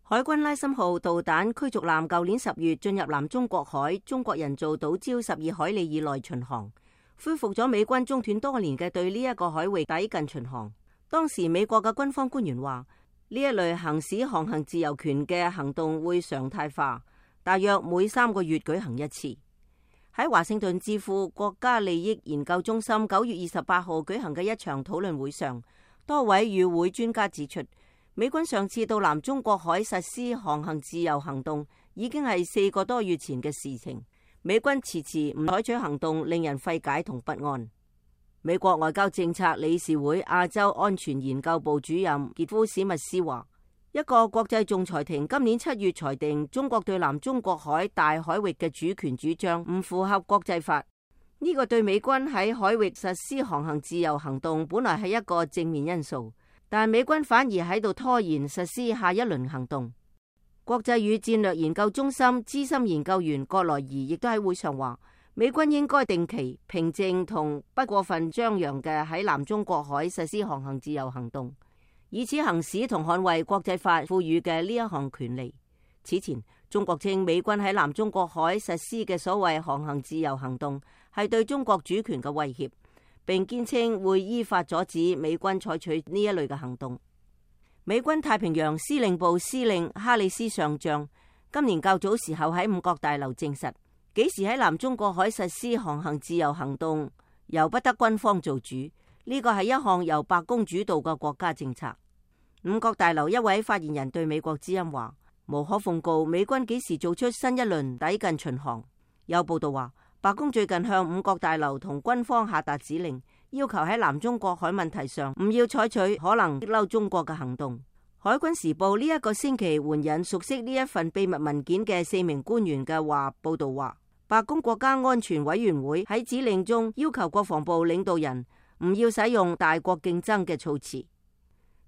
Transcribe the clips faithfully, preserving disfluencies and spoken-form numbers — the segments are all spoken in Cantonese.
海軍拉森號導彈驅逐艦舊年十月進入南中國海中國人造島礁十二海里以內巡航，恢復咗美軍中斷多年嘅對呢一個海域抵近巡航。當時美國嘅軍方官員話，呢一類行使航行自由權嘅行動會常態化，大約每三個月舉行一次。喺華盛頓智庫國家利益研究中心九月二十八號舉行嘅一場討論會上，多位與會專家指出，美軍上次到南中國海實施航行自由行動已經係四個多月前嘅事情。美軍遲遲唔採取行動，令人費解同不安。美國外交政策理事會亞洲安全研究部主任傑夫史密斯話，一個國際仲裁庭今年七月裁定中國對南中國海大海域嘅主權主張唔符合國際法。呢個對美軍喺海域實施航行自由行動本來係一個正面因素，但美軍反而喺度拖延實施下一輪行動。國際與戰略研究中心資深研究員葛萊儀亦都喺會上話，美軍應該定期、平靜同不過分張揚嘅喺南中國海實施航行自由行動，以此行使同捍衛國際法賦予嘅呢一項權利。此前，中國稱美軍喺南中國海實施嘅所謂航行自由行動係對中國主權嘅威脅，並堅稱會依法阻止美軍採取呢一類嘅行動。美軍太平洋司令部司令哈里斯上將今年較早時候喺五角大樓證實，幾時喺南中國海實施航行自由行動由不得軍方做主，呢個係一項由白宮主導嘅國家政策。五角大樓一位發言人對美國之音話，無可奉告美軍幾時做出新一輪抵近巡航。有報道話，白宮最近向五角大樓同軍方下達指令，要求喺南中國海問題上唔要採取可能激嬲中國嘅行動。海軍時報呢一個星期援引熟悉呢一份秘密文件嘅四名官員嘅話，報道話，白宮國家安全委員會喺指令中要求國防部領導人唔要使用大國競爭嘅措辭。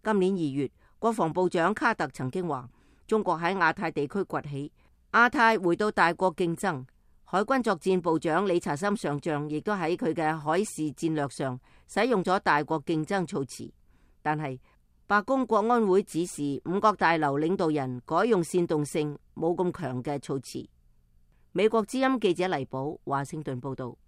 今年二月，國防部長卡特曾經話，中國喺亞太地區崛起，亞太回到大國競爭。海軍作戰部長理查森上將亦都喺佢嘅海事戰略上使用咗大國競爭措辭，但係白宮國安會指示五角大樓領導人改用煽動性冇咁強嘅措辭。美國之音記者黎寶華盛頓報道。